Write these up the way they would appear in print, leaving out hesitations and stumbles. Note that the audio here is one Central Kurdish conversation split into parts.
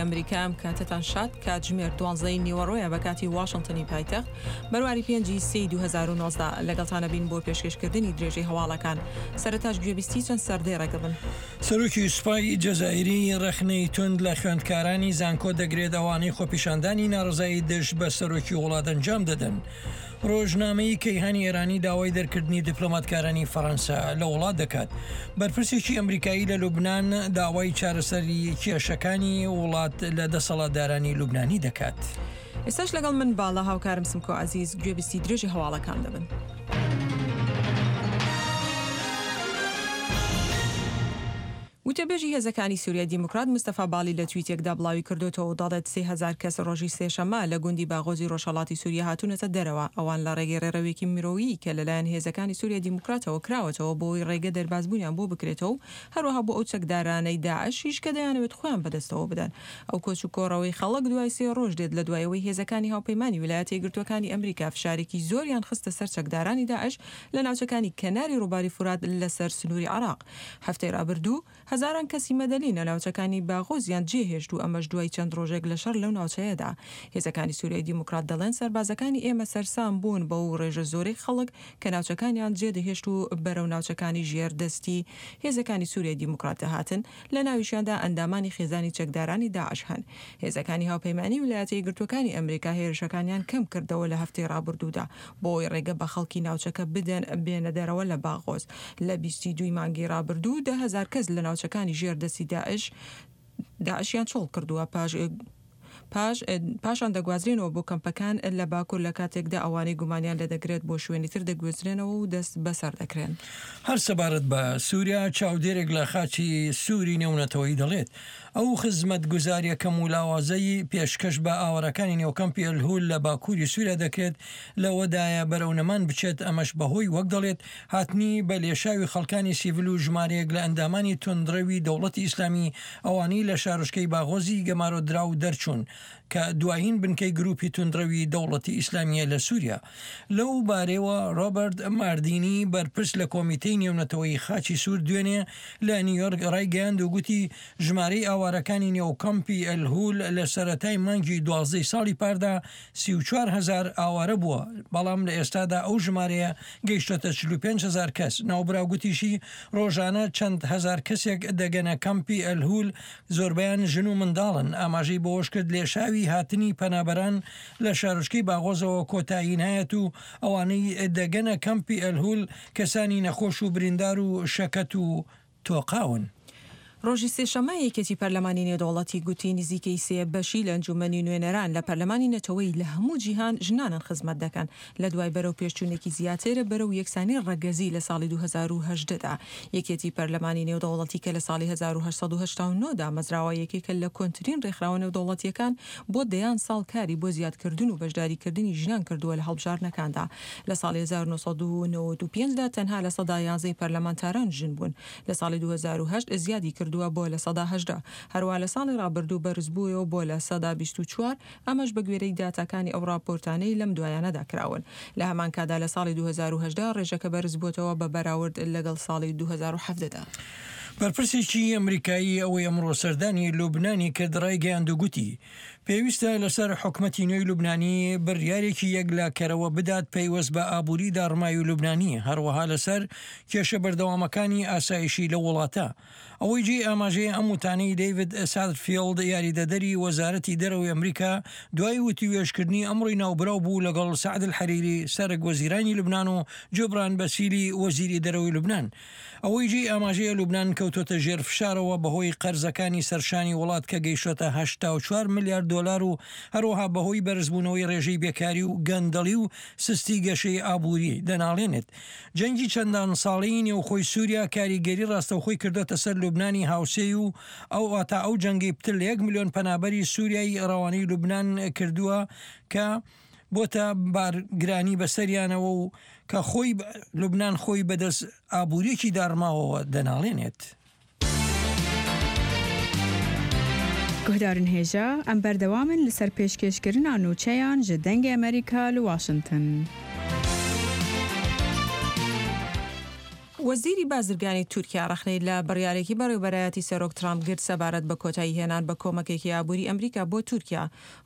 ئەمریکا ئەم کاتەتان شاد، کاتژمێر دوانزەی نیوەڕۆیە بە کاتی واشنتنی پایتەخت، بەرواری پێنجی سێی 2019 لەگەڵتان ئەبین بۆ پێشکێشکردنی درێژەی هەواڵەکان. سەرەتاش گوێبیستی چەند سەردێڕێک ئەبن. سەرۆکی سوپای جەزائیری ڕەخنەی توند لە خوێندکارانی زانکۆ دەگرێت ئەوانەی خۆپیشاندانی ناڕەزایی دژ بە سەرۆکی وڵات ئەنجام دەدەن. ڕۆژنامەی کەیهانی ئێرانی داوای دەرکردنی دیپلۆماتکارانی فەڕەنسا لە وڵات دەکات. بەرپرسێکی ئەمریکایی لە لوبنان داوای چارەسەری کێشەکانی وڵات لە دەسەڵاتدارانی لوبنانی دەکات. ئێستاش لەگەڵ من باڵا هاوکارم سمکۆ عەزیز گوێبیستی درێژی هەواڵەکان دەبن. وتەبێژی هێزەکانی سوریای دیموکرات مستەفا باڵی لە تویتێکدا بڵاویکردۆتەوە و دەڵێت 3000 کەس ڕۆژی سێشەممە لە گوندی باغۆزی ڕۆژهەڵاتی سوریا هاتوونەتە دەرەوە، ئەوان لە ڕێگەی ڕێڕەوێکی مرۆیی کە لەلایەن هێزەکانی سوریای دیموکراتەوە کراوەتەوە بۆ ئەوەی ڕێگە دەربازبوونیان بۆ بکرێتەوە و هەروەها بۆ ئەو چەکدارانەی داعشیش کە دەیانەوێت خۆیان بەدەستەوە بدەن. ئەو کۆچ و کۆڕەوەی خەڵک دوای سێ ڕۆژ دێت لە دوای ئەوەی هێزەکانی هاوپەیمانی ویلایەتە یەکگرتووەکانی ئەمریکا فشارێکی زۆریان خستە سەر چەکدارانی داعش لە ناوچەکانی کەناری ڕووباری فورات لەسەر سنووری عێراق. هەفتەی ڕابردوو، هەزاران کەسی مەدەنی لە ناوچەکانی باغۆزیان جێهێشت و ئەمەش دوای چەند ڕۆژێک لە شەڕ لەو ناوچەیەدا. هێزەکانی سوریای دیموکرات دەڵێن سەربازەکانی ئێمە سەرسام بوون بەو ڕێژە زۆرەی خەڵک کە ناوچەکانیان جێدەهێشت و بەرەو ناوچەکانی ژێر دەستی هێزەکانی سوریای دیموکرات دەهاتن، لە ناویشیاندا ئەندامانی خێزانی چەکدارانی داعش هەن. هێزەکانی هاوپەیمانی ویلایەتە یەکگرتووەکانی ئەمریکا هێرشەکانیان کەم کردەوە لە هەفتەی ڕابردوودا بۆ ئەوەی ڕێگە بە خەڵکی ناوچەکە بدەن بێنە دەرەوە لە باغۆز. لە 22 ی مانگی ڕابردوو 10,000 کەس لە ناوچەکانی ژێر دەستی داعش داعشیان چۆڵ کردووە پاش پاش پاشان دەگوازرێنەوە بۆ کەمپەکان لە باکوور لە کاتێکدا ئەوانەی گومانیان لێدەگرێت بۆ شوێنی تر دەگوێزرێنەوە و دەست بەسەر دەکرێن. هەر سەبارەت بە سووریا، چاودێرێک لە خاچی سووری نێونەتەوەیی دەڵێت، ئەو خزمەتگوزارییە کەم و لاوازەی پێشکەش بە ئاوارەکانی نێو کەمپی ئەلهول لە باکووری سووریا دەکرێت، لەوەدایە بەرەو نەمان بچێت، ئەمەش بەهۆی وەک دەڵێت هاتنی بە لێشاوی خەڵکانی سیڤل و ژمارەیەک لە ئەندامانی توندڕەوی دەوڵەتی ئیسلامی ئەوانەی لە شارۆچکەی باغۆزی گەمارۆدراو دەرچوون کە دوایین بنکەی گروپی توندڕەوی دەوڵەتی ئیسلامییە لە سوریا. لەو بارەیەوە ڕۆبەرت ماردینی بەرپرس لە کۆمیتەی نێونەتەوەیی خاچی سوور دوێنێ لە نیویۆرک ڕایگەیاند و گوتی ژمارەی ئاوارەکانی نێو کەمپی ئەلهول لە سەرەتای مانگی دوازدەی ساڵی پاردا 34 هەزار ئاوارە بووە، بەڵام لە ئێستادا ئەو ژمارەیە گەیشتۆتە 45 هەزار کەس. ناوبراو گوتیشی، ڕۆژانە چەند هەزار کەسێک دەگەنە کەمپی ئەلهول، زۆربەیان ژن و منداڵن. ئاماژەی بەوەشکرد، لێشاوی هاتنی پەنابەران لە شارۆچکەی باغۆزەوە کۆتایی نایەت و ئەوانەی دەگەنە کەمپی ئەلهول کەسانی نەخۆش و بریندار و شەکەت و تۆقاون. ڕۆژی سێشەممە یەکێتی پەرلەمانی نێودەوڵەتی گوتی نزیکەی سێ بەشی لە ئەنجومەنی نوێنەران لە پەرلەمانی نەتەوەیی لە هەموو جیهان ژنانن خزمەت دەکەن لە دوای بەرەو پێشچوونێکی زیاتر بەرەو یەکسانی ڕەگەزی لە ساڵی 2018 دا. یەکێتی پەرلەمانی نێودەوڵەتی کە لە ساڵی 1889 دامەزراوە یەکێکە لە کۆنترین ڕێکخراوە نێودەوڵەتییەکان بۆ دەیان ساڵ کاری بۆ زیادکردن و بەشداریکردنی ژنان کردووە لە هەڵبژاردنەکاندا. لە ساڵی 1995 دا تەنها 11% ی پەرلەمانتاران ژن بوون. لە ساڵی 2008 زیادی کردووە بۆ 18%، هەروەها لە ساڵی ڕابردوو بەرزبوویەوە بۆ 24%، ئەمەش بەگوێرەی داتاکانی ئەو ڕاپۆرتانەی لەم دوایانەدا کراون. لە هەمان کاتدا لە ساڵی 2018 ڕێژەکە بەرزبووەتەوە بە بەراورد لەگەڵ ساڵی 2017 دا. بەرپرسێکی ئەمریکایی ئەوەی ئەمڕۆ سەردانی لوبنانی کرد ڕایگەیاند و گوتی، پێویستە لەسەر حکومەتی نوێی لوبنانی بڕیارێکی یەکلاکەرەوە بدات پەیوەست بە ئابووری داڕماوی لوبنانی، هەروەها لەسەر کێشە بەردەوامەکانی ئاسایشی لەو وڵاتە. ئەوەی جێی ئاماژەیە ئەم وتانەی دەیڤد ساترفیڵد یاریدەدەری وەزارەتی دەرەوەی ئەمریکا دوای وتووێژکردنی ئەمڕۆی ناوبراو بوو لەگەڵ سەعد الحەریری سەرەک وەزیرانی لوبنان و جوبران بەسیلی وەزیری دەرەوەی لوبنان. ئەوەی جێی ئاماژەیە لوبنان کەوتۆتە ژێر فشارەوە بەهۆی قەرزەکانی سەرشانی وڵات کە گەیشتۆتە 84 ملیار دۆلار و هەروەها بەهۆی بەرزبوونەوەی ڕێژەی بێکاری و گەندەڵی و سستی گەشەی ئابووری دەناڵێنێت. جەنگی چەندان ساڵەی نێوخۆی سووریا کاریگەری ڕاستەوخۆی کردۆتە سەر لوبنانی هاوسێی و ئەو واتا ئەو جەنگەی پتر لە یەک ملیۆن پەنابەری سووریای ڕەوانەی لوبنان کردووە کە بۆتە بارگرانی بەسەریانەوە و کە خۆی لوبنان خۆی بەدەست ئابووریەکی داڕماوەوە دەناڵێنێت. Guhdarên hêja, em berdewam in li ser pêşkêşkirina nûçeyan ji Dengê Amerîka li Washington. وەزیری بازرگانی تورکیا ڕەخنەی لە بڕیارێکی بەڕێوبەرایەتی سەرۆک ترامپ گرت سەبارەت بە کۆتایی هێنان بە کۆمەکێکی ئابووری ئەمریکا بۆ تورکیا.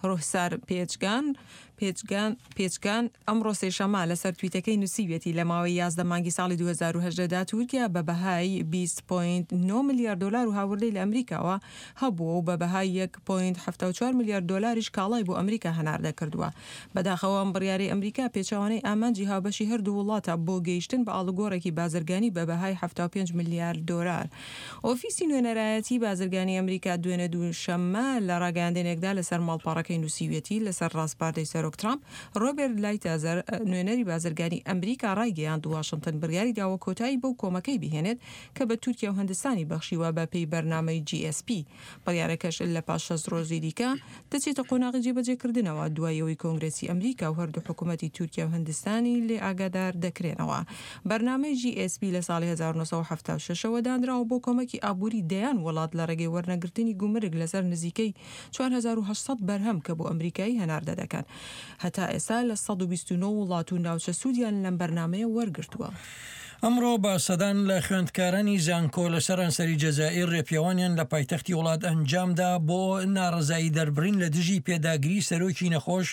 ڕوهسار پێچگان پێچگان پێچگان ئەمڕۆ سێشەممە لەسەر تویتەکەی نووسیویەتی لە ماوەی 11 مانگی ساڵی 2018 دا تورکیا بە بەهای 20.9 ملیار دۆلار و هاوردەی لە ئەمریکاوە هەبووە و بە بەهای 1.74 ملیار دۆلاریش کاڵای بۆ ئەمریکا هەناردە کردووە. بەداخەوە ئەم بڕیارەی ئەمریکا پێچەوانەی ئامانجی هاوبەشی هەردوو وڵاتە بۆ گەیشتن بە ئاڵوگۆڕێکی بازرگانی بە بەهای 75 ملیار دۆلار. ئۆفیسی نوێنەرایەتی بازرگانی ئەمریکا دوێنێ دووشەممە لە ڕاگەیاندنێکدا لەسەر ماڵپەڕەکەی نووسیویەتی، لەسەر ڕاسپاردەی سەرۆک ترامپ، ڕۆبێرت لایتازەر نوێنەری بازرگانی ئەمریکا ڕایگەیاند واشنتن بڕیاری داوە کۆتایی بەو کۆمەکەی بهێنێت کە بە تورکیا و هندستانی بەخشیوە بە پێی بەرنامەی GSP. بڕیارەکەش لە پاش 60 ڕۆژی دیکە دەچێتە قۆناغی جێبەجێکردنەوە دوای ئەوەی کۆنگرێسی ئەمریکا و هەردوو حکوومەتی تورکیا و هندستانی لێ ئاگادار دەکرێنەوە. بەرنامەی GSP لە ساڵی 1976 ەوە دانراوە بۆ کۆمەکی ئابووری دەیان وڵات لە ڕێگەی وەرنەگرتنی گومرگ لەسەر نزیکەی 4800 بەرهەم کە بۆ ئەمریکایی هەناردە دەکەن. هەتا ئێستا لە 129 وڵات و ناوچە سوودیان لەم بەرنامەیە وەرگرتووە. ئەمڕۆ بە سەدان لە خوێندکارانی زانکۆ لە سەرانسەری جەزائیر رێپێوانیان لە پایتەختی وڵات ئەنجامدا بۆ ناڕەزایی دەربڕین لە دژی پێداگری سەرۆکی نەخۆش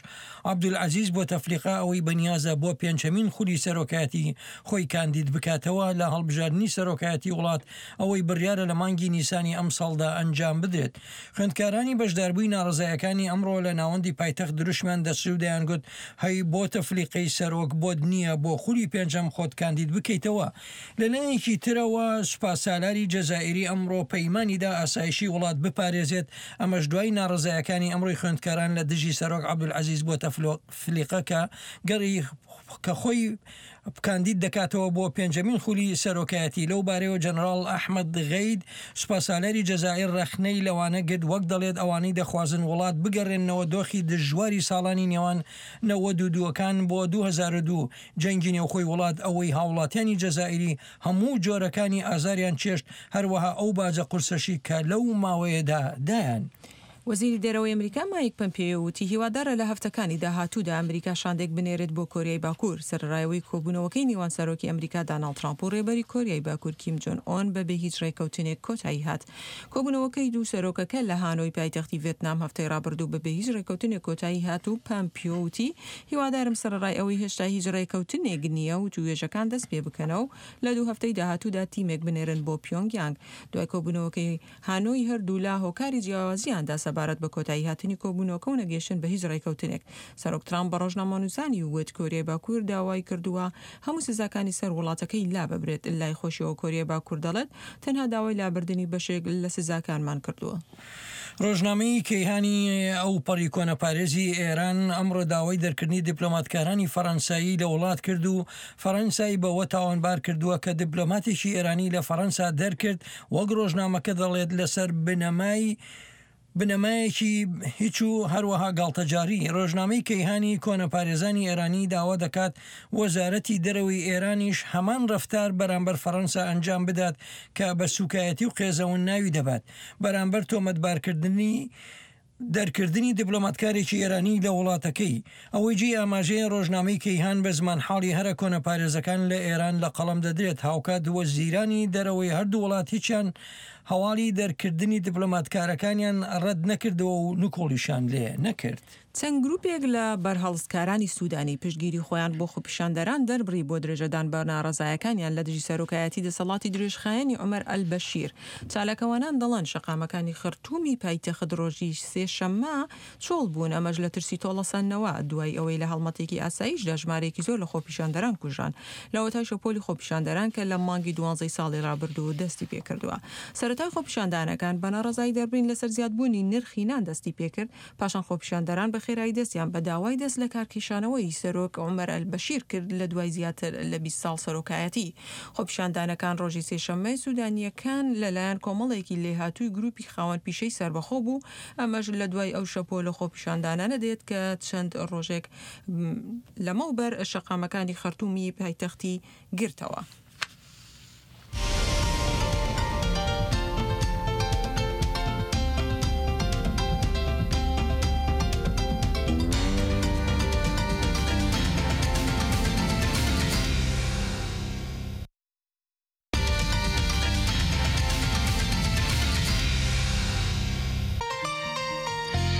عەبدولعەزیز بۆتەفلیقە ئەوەی بەنیازە بۆ پێنجهەمین خولی سەرۆکایەتی خۆی کاندید بکاتەوە لە هەڵبژاردنی سەرۆکایەتی وڵات ئەوەی بڕیارە لە مانگی نیسانی ئەمساڵدا ئەنجام بدرێت. خوێندکارانی بەشداربووی ناڕەزایەکانی ئەمڕۆ لە ناوەندی پایتەخت دروشمیان دەچڕی و دەیانگوت هەی بۆتەفلیقەی سەرۆک بۆت نییە بۆ خولی پێنجەم خۆت کاندید بکەیتەوە. لەلایەکی ترەوە سوپاسالاری جەزائیری ئەمڕۆ پەیمانی دا ئاسایشی وڵات بپارێزێت، ئەمەش دوای ناڕەزایەکانی ئەمڕۆی خوێندکاران لە دژی سەرۆک عەبدولعەزیز بۆتەفلیقە کە گەڕی کە خۆی کاندید دەکاتەوە بۆ پێنجەمین خولی سەرۆکایەتی. لەو بارەیەوە جەنەراڵ ئەحمەد غەید، سوپاسالاری جەزائیر رەخنەی لەوانە گرت وەک دەڵێت ئەوانەی دەخوازن وڵات بگەڕێننەوە دۆخی دژواری ساڵانی نێوان 92 ەکان بۆ 2002 جەنگی نێوخۆی وڵات ئەوەی هاوڵاتیانی جەزائیری هەموو جۆرەکانی ئازاریان چێشت هەروەها ئەو باجە قورسەشی کە لەو ماوەیەدا دایان. وەزیری دەرەوەی ئەمریکا مایک پەمپێیۆ وتی هیوادارە لە هەفتەکانی داهاتوودا ئەمریکا شاندێک بنێرێت بۆ کۆریای باکوور، سەرەڕای ئەوەی کۆبوونەوەکەی نێوان سەرۆکی ئەمریکا داناڵد ترامپ و ڕێبەری کۆریای باکوور کیم جۆن ئۆن بەبێ هیچ ڕێککەوتنێک کۆتایی هات. کۆبوونەوەکەی دوو سەرۆکەکە لە هانۆی پایتەختی ڤێتنام هەفتەی ڕابردوو بەبێ هیچ ڕێککەوتنێک کۆتایی هات و پەمپیۆ وتی هیوادارم سەرەڕای ئەوەی هێشتا هیچ ڕێککەوتنێک نییە وتووێژەکان دەست پێبکەنەوە و لە دوو هەفتەی داهاتوودا تیمێک بنێرن بۆ پیۆنگ یانگ. دوای کۆبوونەوەکەی هانۆی هەردوولا هۆکاری جیاوازیان دا سەبارەت بە کۆتاییهاتنی کۆبوونەوەکە و نەگەیشتن بە هیچ ڕێکەوتنێک. سەرۆک ترامپ بە ڕۆژنامەنووسانی وت کۆریای باکوور داوای کردووە هەموو سزاکانی سەر وڵاتەکەی لاببرێت. لای خۆشیەوە کۆریای باکوور دەڵێت تەنها داوای لابردنی بەشێک لە سزاکانمان کردووە. ڕۆژنامەی کەیهانی ئەوپەڕی کۆنەپارێزی ئێران ئەمڕۆ داوای دەرکردنی دیپلۆماتکارانی فەڕەنسایی لە وڵات کرد و فەڕەنسای بەوە تاوانبار کردووە کە دیپلۆماتێکی ئێرانی لە فەڕەنسا دەرکرد وەک ڕۆژنامەکە دەڵێت لەسەر بنەمای بنەمایەکی هیچ و هەروەها گاڵتەجاڕی. ڕۆژنامەی کەیهانی کۆنەپارێزانی ئێرانی داوا دەکات وەزارەتی دەرەوەی ئێرانیش هەمان ڕەفتار بەرامبەر فەڕەنسا ئەنجام بدات کە بە سوکایەتی و قێزەون ناوی دەبات بەرامبەر تۆمەتبارکردنی دەرکردنی دیپلۆماتکارێکی ئێرانی لە وڵاتەکەی. ئەوەی جێی ئاماژەیە ڕۆژنامەی کەیهان بە زمانحاڵی هەرە کۆنەپارێزەکان لە ئێران لە قەڵەم دەدرێت، هاوکات وەزیرانی دەرەوەی هەردوو وڵات هیچیان هەواڵی دەرکردنی دیپلۆماتکارەکانیان ڕەت نەکردەوە و نکوڵیشیان لێ نەکرد. چەند گروپێک لە بەرهەڵستکارانی سودانی پشتگیری خۆیان بۆ خۆپیشاندەران دەربڕی بۆ درێژەدان بە ناڕەزایەکانیان لە دژی سەرۆکایەتی دەسەڵاتی درێژخایەنی عومەر ئەلبەشیر. چالاکوانان دەڵێن شەقامەکانی خەرتومی پایتەخت ڕۆژی سێشەممە چۆڵ بوون، ئەمەش لە ترسی تۆڵەسەندنەوە دوای ئەوەی لە هەڵمەتێکی ئاسایشدا ژمارەیەکی زۆر لە خۆپیشاندەران کوژران لەوەتای شەپۆلی خۆپیشاندەران کە لە مانگی دوانزەی ساڵی ڕابردوو دەستی پێکردووە. سەرەتای خۆپیشاندانەکان بە ناڕەزایی دەربڕین لەسەر زیادبوونی نرخی نان دەستی پێکرد، پاشان خۆپیشاندەران بە خێرایی دەستیان بە داوای دەست لەکارکێشانەوەی سەرۆک عومەر ئەلبەشیر کرد لە دوای زیاتر لە 20 ساڵ سەرۆکایەتی. خۆپیشاندانەکان ڕۆژی سێشەممەی سودانییەکان لەلایەن کۆمەڵێکی لێهاتووی گروپی خاوەن پیشەی سەربەخۆ بوو، ئەمەش لە دوای ئەو شەپۆلە خۆپیشاندانانە دێت کە چەند ڕۆژێک لەمەوبەر شەقامەکانی خەرتومی پایتەختی گرتەوە.